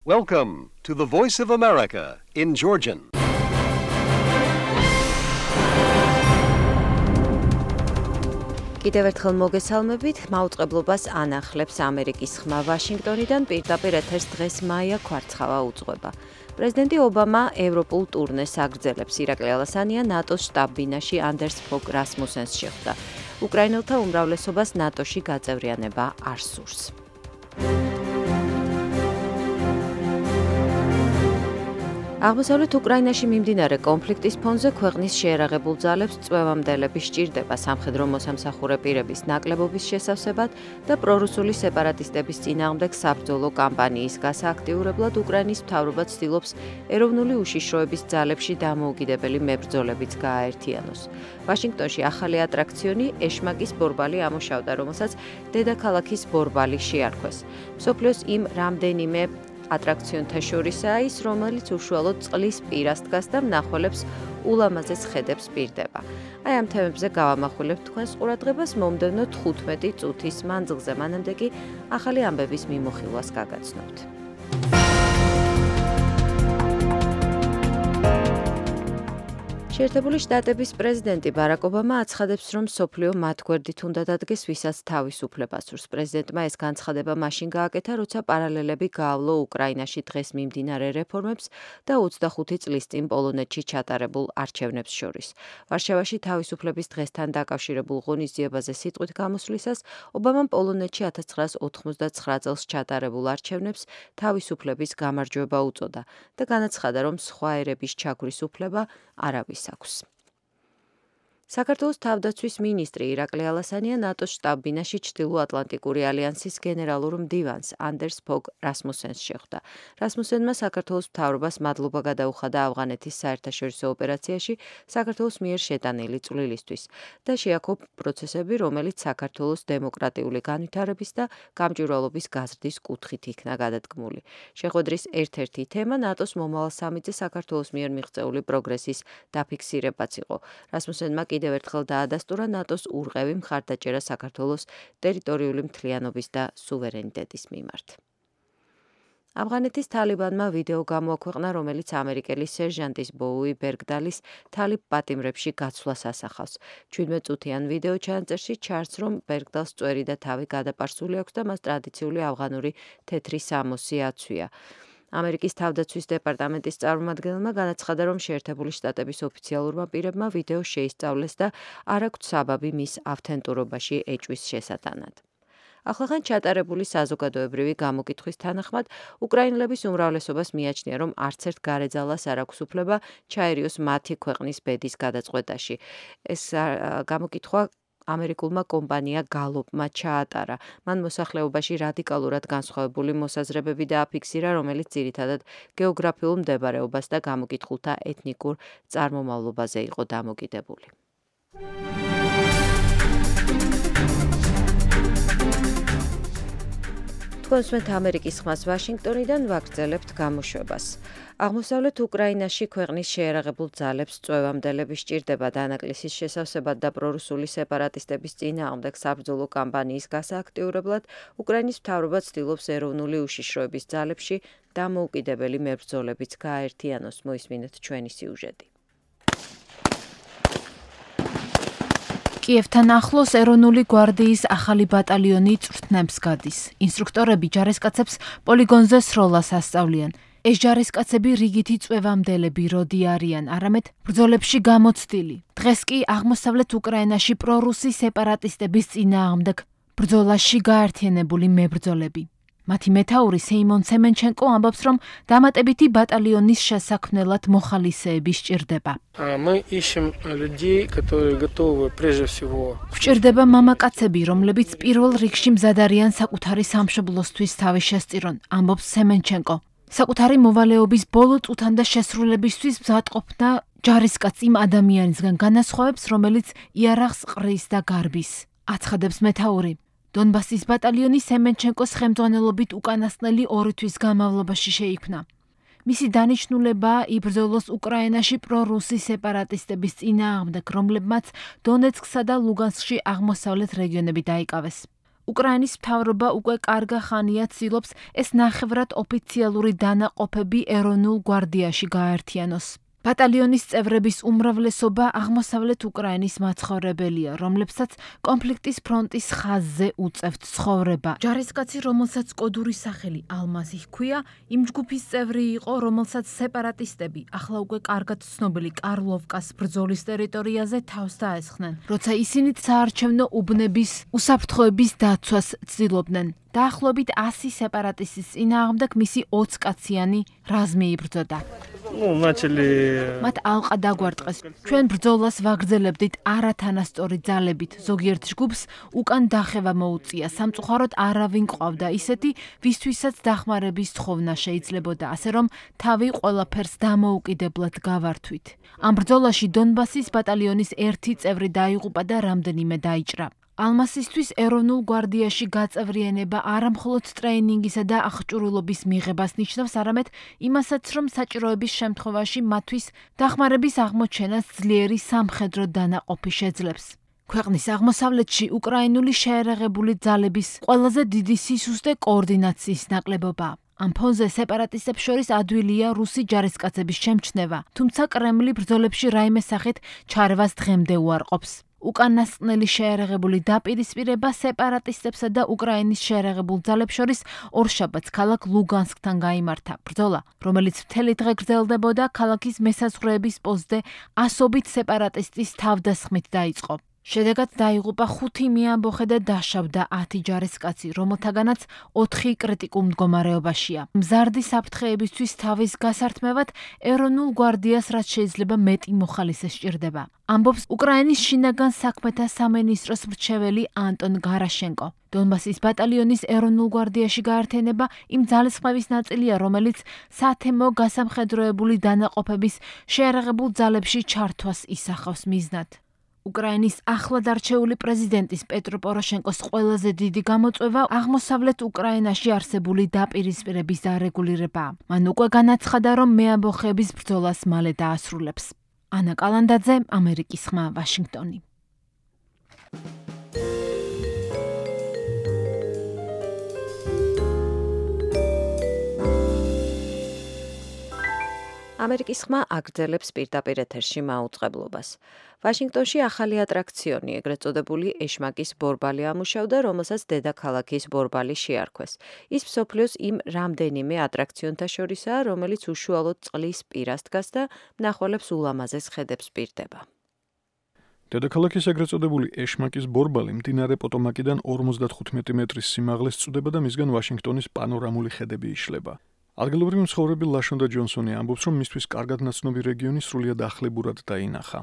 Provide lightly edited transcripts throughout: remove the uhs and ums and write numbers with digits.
Welcome to the Voice of America in Georgian. კიდევ ერთხელ მოგესალმებით, მაუწყებლობას ანახლებს ამერიკის ხმა ვაშინგტონიდან პირდაპირ ეთერს დღეს მაია ქვარცხავა უძღვება. პრეზიდენტი ობამა ევროპულ ტურნეს აგრძელებს. ირაკლი ალასანია ნატოს შტაბ-ბინაში ანდერს ფოგ რასმუსენს შეხვდა. უკრაინელთა უმრავლესობას ნატოში გაწევრიანება არ სურს. აღმოსავლეთ უკრაინაში მიმდინარე კონფლიქტის ფონზე ქვეყნის შეერაღებულ ძალებს წვევამდელები სჭირდება სამხედრო მოსამსახურე პირების ნაკლებობის შესავსებად და პრორუსული სეპარატისტების წინააღმდეგ საბრძოლო კამპანიის გასააქტიურებლად უკრაინის მთავრობა ცდილობს ეროვნული უშიშროების ძალებში დამოუკიდებელი მებრძოლებიც გააერთიანოს. ვაშინგტონში ახალი ატრაქციონი ეშმაკის ბორბალი ამუშავდა, რომელსაც დედაქალაქის ბორბალი შეარქვეს. მსოფლიოს იმ რამდენიმე ატრაქციონთა შორისაა ის, რომელიც უშუალოდ წყლის პირას დგას და მნახველებს ულამაზეს ხედებს პირდება. აი ამ თემებზე გავამახვილებთ თქვენს ყურადღებას მომდევნო 15 წუთის მანძილზე, მანამდე კი ახალი ამბების მიმოხილვას გაგაცნობთ. შეერთებული შტატების პრეზიდენტი ბარაკ ობამა აცხადებს, რომ მსოფლიო მათ გვერდით უნდა დადგეს, ვისაც თავისუფლება სურს. პრეზიდენტმა ეს განცხადება მაშინ გააკეთა, როცა პარალელები გაავლო უკრაინაში დღეს მიმდინარე რეფორმებს და 25 წლის წინ პოლონეთში ჩატარებულ არჩევნებს შორის. ვარშავაში თავისუფლების დღესთან დაკავშირებულ ღონისძიებაზე სიტყვით გამოსვლისას ობამამ პოლონეთში 1989 წელს ჩატარებულ არჩევნებს თავისუფლების გამარჯვება უწოდა და განაცხადა, რომ სხვა ერების ჩაგვრის უფლება არავის აქვს. საქართველოს თავდაცვის მინისტრი ირაკლი ალასანია ნატოს შტაბ-ბინაში ჩრდილოატლანტიკური ალიანსის გენერალურ მდივანს ანდერს ფოგ რასმუსენს შეხვდა. რასმუსენმა საქართველოს მთავრობას მადლობა გადაუხადა ავღანეთის საერთაშორისო ოპერაციაში საქართველოს მიერ შეტანილი წვლილისთვის და შეაქო პროცესები, რომელიც საქართველოს დემოკრატიული განვითარების და გამჭვირვალობის გაზრდის კუთხით იქნა გადადგმული. შეხვედრის ერთ-ერთი თემა ნატოს მომავალ სამიტზე საქართველოს მიერ მიღწეული პროგრესის დაფიქსირებაც იყო. რასმუსენმა კიდევ ერთხელ დაადასტურა ნატოს ურყევი მხარდაჭერა საქართველოს ტერიტორიული მთლიანობის და სუვერენიტეტის მიმართ. ავღანეთის თალიბანმა ვიდეო გამოაქვეყნა, რომელიც ამერიკელი სერჟანტის ბოუი ბერგდალის თალიბ პატიმრებში გაცვლას ასახავს. 17 წუთიან ვიდეო ჩანაწერში ჩანს, რომ ბერგდალს წვერი და თავი გადაპარსული აქვს და მას ტრადიციული ავღანური თეთრი სამოსი აცვია. ამერიკის თავდაცვის დეპარტამენტის წარმომადგენელმა განაცხადა, რომ შეერთებული შტატების ოფიციალურმა პირებმა ვიდეო შეისწავლეს და არ აქვთ საბაბი მის ავთენტურობაში ეჭვის შესატანად. ახლახან ჩატარებული საზოგადოებრივი გამოკითხვის თანახმად, უკრაინელების უმრავლესობას მიაჩნია, რომ არც ერთ გარეძალას არ აქვს უფლება ჩაერიოს მათი ქვეყნის ბედის გადაწყვეტაში. ეს გამოკითხვა ამერიკულმა კომპანია გალოპმა ჩაატარა. მან მოსახლეობაში რადიკალურად განსხვავებული მოსაზრებები დააფიქსირა, რომელიც ძირითადად გეოგრაფიულ მდებარეობას და გამოკითხულთა ეთნიკურ წარმომავლობაზე იყო დამოკიდებული. თქვენსმენთ ამერიკის ხმას ვაშინგტონიდან ვაგრძელებთ გამოშვებას. აღმოსავლეთ უკრაინაში ქვეყნის შეერაღებულ ძალებს წვევამდელები სჭირდება დანაკლისის შესავსებად და პრორუსული სეპარატისტების წინააღმდეგ საბრძოლო კამპანიის გასააქტიურებლად უკრაინის მთავრობა ცდილობს ეროვნული უშიშროების ძალებში დამოუკიდებელი მებრძოლებიც გააერთიანოს. მოისმინეთ ჩვენი სიუჟეტი. კიევთან ახლოს ეროვნული გვარდიის ახალი ბატალიონი წვრთნებს გადის. ინსტრუქტორები ჯარისკაცებს პოლიგონზე სროლას ასწავლიან. ეს ჯარისკაცები რიგითი წვევამდელები როდი არიან, არამედ ბრძოლებში გამოცდილი. დღეს კი აღმოსავლეთ უკრაინაში პრორუსი სეპარატისტების წინააღმდეგ ბრძოლაში გაერთიანებული მებრძოლები. მათი მეთაური სეიმონ სემენჩენკო ამბობს, რომ დამატებითი ბატალიონის შესაქმნელად მოხალისეები სჭირდება. გვჭირდება მამაკაცები, რომლებიც პირველ რიგში მზად არიან საკუთარი სამშობლოსთვის თავი შესწირონ, ამბობს სემენჩენკო. საკუთარი მოვალეობის ბოლო წუთან და შესრულებისთვის მზადყოფნა ჯარისკაც იმ ადამიანისგან განასხვავებს, რომელიც იარაღს ყრის და გარბის. აცხადებს მეთაური. დონბასის ბატალიონი სემენჩენკოს ხელმძღვანელობით უკანასკნელი 2 თვის განმავლობაში შეიქმნა. მისი დანიშნულებაა იბრძოლოს უკრაინაში პრორუსი სეპარატისტების წინააღმდეგ, რომლებმაც დონეცკსა და ლუგანსკში აღმოსავლეთ რეგიონები დაიკავეს. უკრაინის მთავრობა უკვე კარგა ხანია ცდილობს ეს ნახევრად ოფიციალური დანაყოფები ეროვნულ გვარდიაში გაერთიანოს. ბატალიონის წევრების უმრავლესობა აღმოსავლეთ უკრაინის მაცხოვრებელია, რომლებსაც კონფლიქტის ფრონტის ხაზზე უწევთ ცხოვრება. ჯარისკაცი, რომელსაც კოდური სახელი ალმაზი ჰქვია, იმ ჯგუფის წევრი იყო, რომელსაც სეპარატისტები ახლა უკვე კარგად ცნობილი კარლოვკას ბრძოლის ტერიტორიაზე თავს დაესხნენ, როცა ისინი საარჩევნო უბნების უსაფრთხოების დაცვას ცდილობდნენ. დაახლოებით 100 სეპარატისტის წინააღმდეგ მისი 20 კაციანი რაზმი იბრძოდა. მათ ალყა დაგვარტყეს. ჩვენ ბრძოლას ვაგრძელებდით არათანასწორი ძალებით. ზოგიერთ ჯგუფს უკან დახევა მოუწია. სამწუხაროდ არავინ ყავდა ისეთი, ვისთვისაც დახმარების თხოვნა შეიძლებოდა, ასე რომ თავი ყველაფერს დამოუკიდებლად გავართვით. ამ ბრძოლაში დონბასის ბატალიონის ერთი წევრი დაიღუპა და რამდენიმე დაიჭრა. ალმასისთვის ეროვნულ გვარდიაში გაწევრიანება არა მხოლოდ ტრეინინგისა და აღჭურვილობის მიღებას ნიშნავს, არამედ იმასაც, რომ საჭიროების შემთხვევაში მათთვის დახმარების აღმოჩენას ძლიერი სამხედრო დანაყოფი შეძლებს. ქვეყნის აღმოსავლეთში უკრაინული შეერაღებული ძალების ყველაზე დიდი სისუსტე კოორდინაციის ნაკლებობაა. ამ ფონზე სეპარატისტებს შორის ადვილია რუსი ჯარისკაცების შემჩნევა, თუმცა კრემლი ბრძოლებში რაიმე სახით ჩარევას დღემდე უარყოფს. უკანასკნელი შეერაღებული დაპირისპირება სეპარატისტებსა და უკრაინის შეერაღებულ ძალებს შორის ორშაბათს ქალაქ ლუგანსკთან გაიმართა. ბრძოლა, რომელიც მთელი დღე გრძელდებოდა, ქალაქის მესაზღვრეების პოსტზე ასობით სეპარატისტის თავდასხმით დაიწყო. შედეგად დაიღუპა 5 მეამბოხე და დაშავდა 10 ჯარისკაცი, რომელთაგანაც 4 კრიტიკულ მდგომარეობაშია. მზარდი საფრთხეებისთვის თავის გასართმევად ეროვნულ გვარდიას რაც შეიძლება მეტი მოხალისე სჭირდება. ამბობს უკრაინის შინაგან საქმეთა სამინისტროს მრჩეველი ანტონ გარაშენკო. დონბასის ბატალიონის ეროვნულ გვარდიაში გაერთიანება იმ ძალისხმევის ნაწილია, რომელიც სათემო გასამხედროებული დანაყოფების შეერაღებულ ძალებში ჩართვას ისახავს მიზნად. უკრაინის ახლად არჩეული პრეზიდენტის პეტრო პოროშენკოს ყველაზე დიდი გამოწვევა აღმოსავლეთ უკრაინაში არსებული დაპირისპირების დარეგულირებაა. მან უკვე განაცხადა, რომ მეამბოხეების ბრძოლას მალე დაასრულებს. ანა კალანდაძე, ამერიკის ხმა, ვაშინგტონი. ამერიკის ხმა აგრძელებს პირდაპირ ეთერში მაუწყებლობას. ვაშინგტონში ახალი ატრაქციონი, ეგრეთ წოდებული ეშმაკის ბორბალი ამუშავდა, რომელსაც დედაქალაქის ბორბალი შეარქვეს. ის მსოფლიოს იმ რამდენიმე ატრაქციონთა შორისაა, რომელიც უშუალოდ წყლის პირას დგას და მნახველებს ულამაზეს ხედებს პირდება. დედაქალაქის ეგრეთ წოდებული ეშმაკის ბორბალი მდინარე პოტომაკიდან 55 მეტრის სიმაღლეს წვდება და მისგან ვაშინგტონის პანორამული ხედები იშლება. ადგილობრივი მცხოვრები ლაშონდა ჯონსონი ამბობს, რომ მისთვის კარგად ნაცნობი რეგიონი სრულიად ახლებურად დაინახა.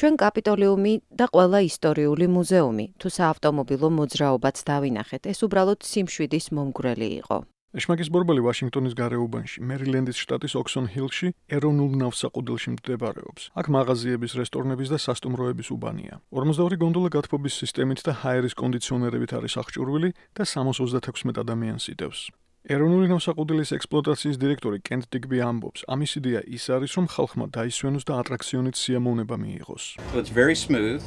ჩვენ კაპიტოლიუმი და ყველა ისტორიული მუზეუმი, თუ საავტომობილო მოძრაობაც დავინახეთ, ეს უბრალოდ სიმშვიდის მომგვრელი იყო. ეშმაკის ბორბალი ვაშინგტონის გარეუბანში, მერილენდის შტატის ოქსონ-ჰილში, ეროვნულ ნავსაყუდელში მდებარეობს. აქ მაღაზიების, რესტორნების და სასტუმროების უბანია. 42 გონდოლა გათბობის სისტემით და ჰაერის კონდიციონერებით არის აღჭურვილი და 336 ადამიანს იდევს. ეროვნული ნავსაყუდელის ექსპლუატაციის დირექტორი კენტ დიგბი ამბობს, ამის იდეა ის არის, რომ ხალხმა დაისვენოს და ატრაქციონით სიამოვნება მიიღოს. It's very smooth,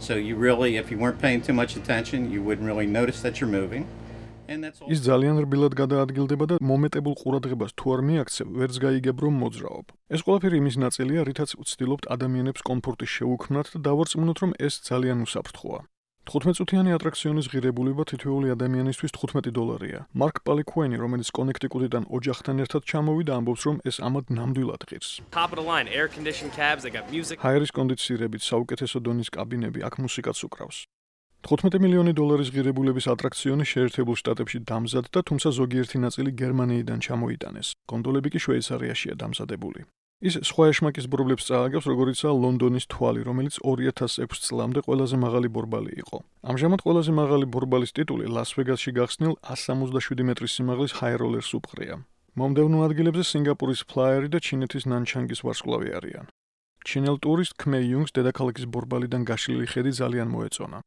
so you really, if you weren't paying too much attention, you wouldn't really notice that you're moving. ის ძალიან რბილად გადაადგილდება და მომეტებულ ყურადღებას თუ არ მიაქცევ, ვერც გაიგებ რომ მოძრაობ. ეს ყველაფერი იმის ნაწილია, რითაც ვცდილობთ ადამიანებს კომფორტის შეუქმნათ და დავარწმუნოთ, რომ ეს ძალიან უსაფრთხოა. 15 წუთიანი ატრაქციონის ღირებულება თითოეული ადამიანისთვის $15. მარკ პალიკუენი, რომელიც კონექტიკუტიდან ოჯახთან ერთად ჩამოვიდა, ამბობს, რომ ეს ამად ნამდვილად ღირს. ჰაერის კონდიცირებით საუკეთესო დონის კაბინები, აქ მუსიკაც უკრავს. $15 მილიონი ღირებულების ატრაქციონი შეერთებულ შტატებში დამზადდა, თუმცა ზოგიერთი ნაწილი გერმანიიდან ჩამოიტანეს. გონდოლები კი შვეიცარიაშია დამზადებული. ის სხვა ეშმაკის ბორბლებს წააგებს, როგორიცაა ლონდონის თვალი, რომელიც 2006 წლამდე ყველაზე მაღალი ბორბალი იყო. ამჟამად ყველაზე მაღალი ბორბალის ტიტული ლას-ვეგასში გახსნილ 167 მეტრის სიმაღლის ჰაეროლერს უპყრია. მომდევნო ადგილებზე სინგაპურის ფლაიერი და ჩინეთის ნანჩანგის ვარსკვლავი არიან. ჩინელ ტურისტ ქმე იუნგს დედაქალაქის ბორბალიდან გაშლილი ხედი ძალიან მოეწონა.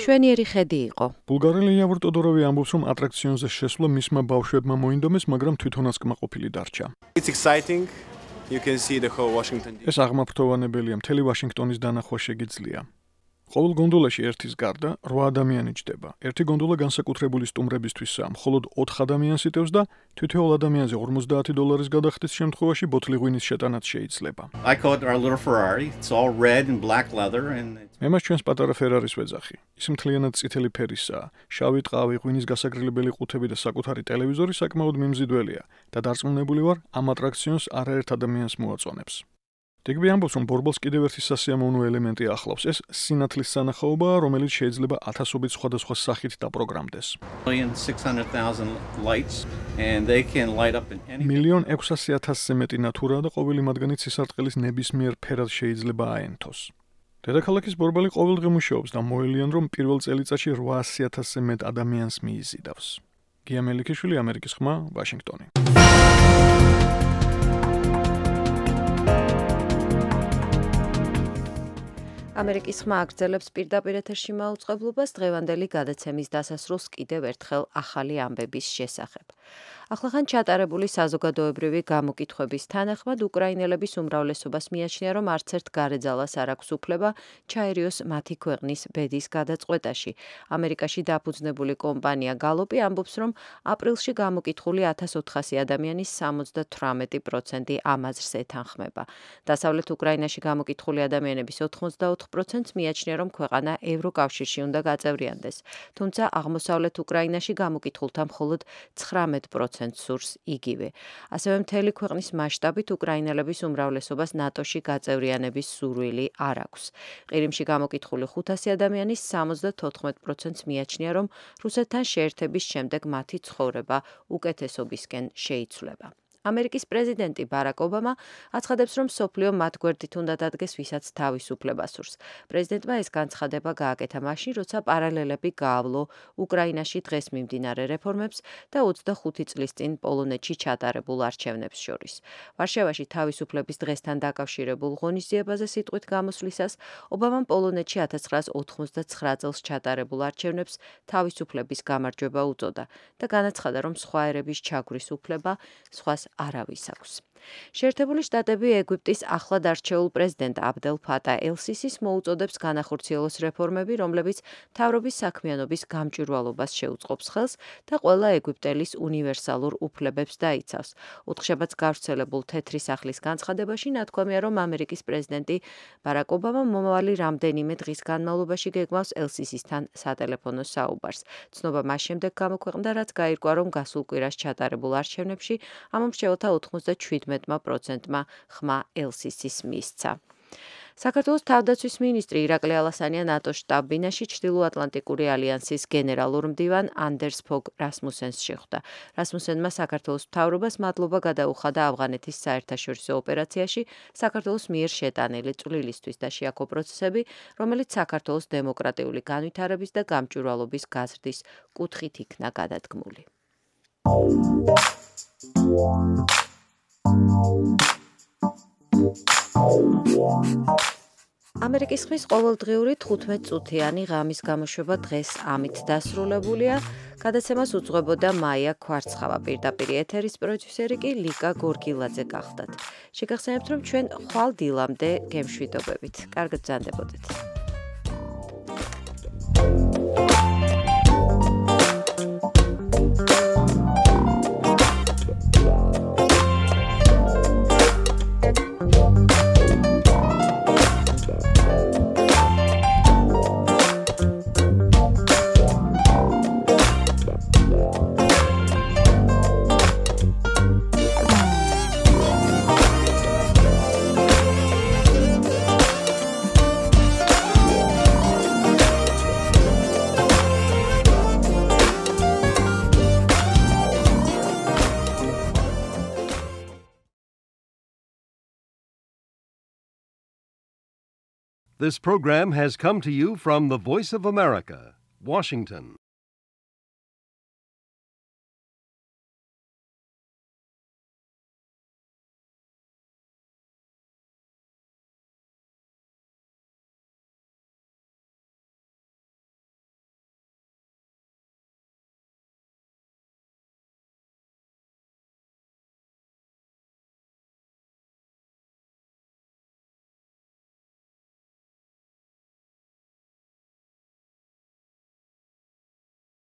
შვენიერი ხედი იყო. ბულგარელი იავორ ტოდოროვი ამბობს, რომ ატრაქციონზე შესვლა მისმა ბავშვებმა მოინდომეს, მაგრამ თვითონაც კმაყოფილი დარჩა. It's exciting. You can see the whole Washington DC. ეს აღმაფრთოვანებელია, მთელი ვაშინგტონის დანახვა შეგიძლია. ყოველ გონდოლაში ერთის გარდა 8 ადამიანი ჯდება. ერთი გონდოლა განსაკუთრებული სტუმრებისთვისაა, მხოლოდ 4 ადამიანს იტევს და თითოეულ ადამიანზე $50 გადახდის შემთხვევაში ბოთლი ღვინის შეტანაც შეიძლება. I call it our little Ferrari. It's all red and black leather and მე მას ჩვენს პატარა ფერარის ვეძახი. ის მთლიანად წითელი ფერისაა, შავი ტყავი, ღვინის გასაგრილებელი ყუთები და საკუთარი ტელევიზორი საკმაოდ მიმზიდველია და დარწმუნებული ვარ, ამ ატრაქციონს არაერთ ადამიანს მოაწონებს. დეგბი ამბობს, რომ ბორბალს კიდევ ერთი სასიამოვნო ელემენტი ახლავს. ეს სინათლის სანახაობაა, რომელიც შეიძლება ათასობით სხვადასხვა სახით დაპროგრამდეს. 1,600,000 lights and they can light up in any 1,600,000-ზე მეტი ნათურაა და ყოველი მათგანი ცისარტყელის ნებისმიერ ფერად შეიძლება აენთოს. დედაქალაქის ბორბალი ყოველდღე მუშაობს და მოელიან, რომ პირველ წელიწადში 800,000-ზე მეტ ადამიანს მიიზიდავს. გია მელიქიშვილი, ამერიკის ხმა, ვაშინგტონი. ამერიკის ხმა აგრძელებს პირდაპირ ეთერში მაუწყებლობას დღევანდელი გადაცემის დასასრულს კიდევ ერთხელ ახალი ამბების შესახებ. ახლახან ჩატარებული საზოგადოებრივი გამოკითხვების თანახმად უკრაინელების უმრავლესობას მიაჩნია, რომ არც ერთ გარეძალას არ აქვს უფლება ჩაერიოს მათი ქვეყნის ბედის გადაწყვეტაში. ამერიკაში დაფუძნებული კომპანია გალოპი ამბობს, რომ აპრილში გამოკითხული 1400 ადამიანის 78% ამ აზრს ეთანხმება. დასავლეთ უკრაინაში გამოკითხული ადამიანების 84%-ს მიაჩნია, რომ ქვეყანა ევროკავშირში უნდა გაწევრიანდეს. თუმცა აღმოსავლეთ უკრაინაში გამოკითხულთა მხოლოდ 19% სურს იგივე. ასევე მთელი ქვეყნის მასშტაბით უკრაინელების უმრავლესობას ნატოში გაწევრიანების სურვილი არ აქვს. ყირიმში გამოკითხული 500 ადამიანის 74%-ს მიაჩნია, რომ რუსეთთან შეერთების შემდეგ მათი ცხოვრება უკეთესობისკენ შეიცვლება. ამერიკის პრეზიდენტი ბარაკ ობამა აცხადებს, რომ მსოფლიო მათ გვერდით უნდა დადგეს, ვისაც თავისუფლება სურს. პრეზიდენტმა ეს განცხადება გააკეთა მაშინ, როცა პარალელები გაავლო უკრაინაში დღეს მიმდინარე რეფორმებს და 25 წლის წინ პოლონეთში ჩატარებულ არჩევნებს შორის. ვარშავაში თავისუფლების დღესთან დაკავშირებულ ღონისძიებაზე სიტყვით გამოსვლისას ობამამ პოლონეთში 1989 წელს ჩატარებულ არჩევნებს თავისუფლების გამარჯვება უწოდა და განაცხადა, რომ სხვა ერების ჩაგვრის უფლება სხვას არავის აქვს. შეერთებული შტატები ეგვიპტის ახლად არჩეულ პრეზიდენტ აბდელ ფატა ელ-სისის მოუწოდებს განახორციელოს რეფორმები, რომლებიც მთავრობის საქმიანობის გამჭვირვალობას შეუწყობს ხელს და ყველა ეგვიპტელის უნივერსალურ უფლებებს დაიცავს. ოთხშაბათს გავრცელებულ თეთრი სახლის განცხადებაში ნათქვამია, რომ ამერიკის პრეზიდენტი ბარაკ ობამა მომავალი რამდენიმე დღის განმავლობაში გეგმავს ელ-სისისთან სატელეფონო საუბარს. ცნობა მას შემდეგ გამოქვეყნდა, რაც გაირკვა, რომ გასულ კვირას ჩატარებულ არჩევნებში ამ მრჩეველთა 97%-მა ხმა ელ-სისის მისცა. საქართველოს თავდაცვის მინისტრი ირაკლი ალასანია ნატოს შტაბ-ბინაში ჩრდილოატლანტიკური ალიანსის გენერალურ მდივან ანდერს ფოგ რასმუსენს შეხვდა. რასმუსენმა საქართველოს მთავრობას მადლობა გადაუხადა ავღანეთის საერთაშორისო ოპერაციაში საქართველოს მიერ შეტანილი წვლილისთვის და შეაქო პროცესები, რომელიც საქართველოს დემოკრატიული განვითარების და გამჭვირვალობის გაზრდის კუთხით იქნა გადადგმული. ამერიკის ხმის ყოველდღიური 15-წუთიანი ღამის გამოშვება დღეს ამით დასრულებულია. გადაცემას უძღვებოდა მაია ქვარცხავა, პირდაპირ ეთერის პროდიუსერი კი ლიკა გორგილაძე გახდათ. შეგახსენებთ, რომ ჩვენ ხვალ დილამდე გემშვიდობებით. კარგად ბრძანდებოდეთ. This program has come to you from the Voice of America, Washington.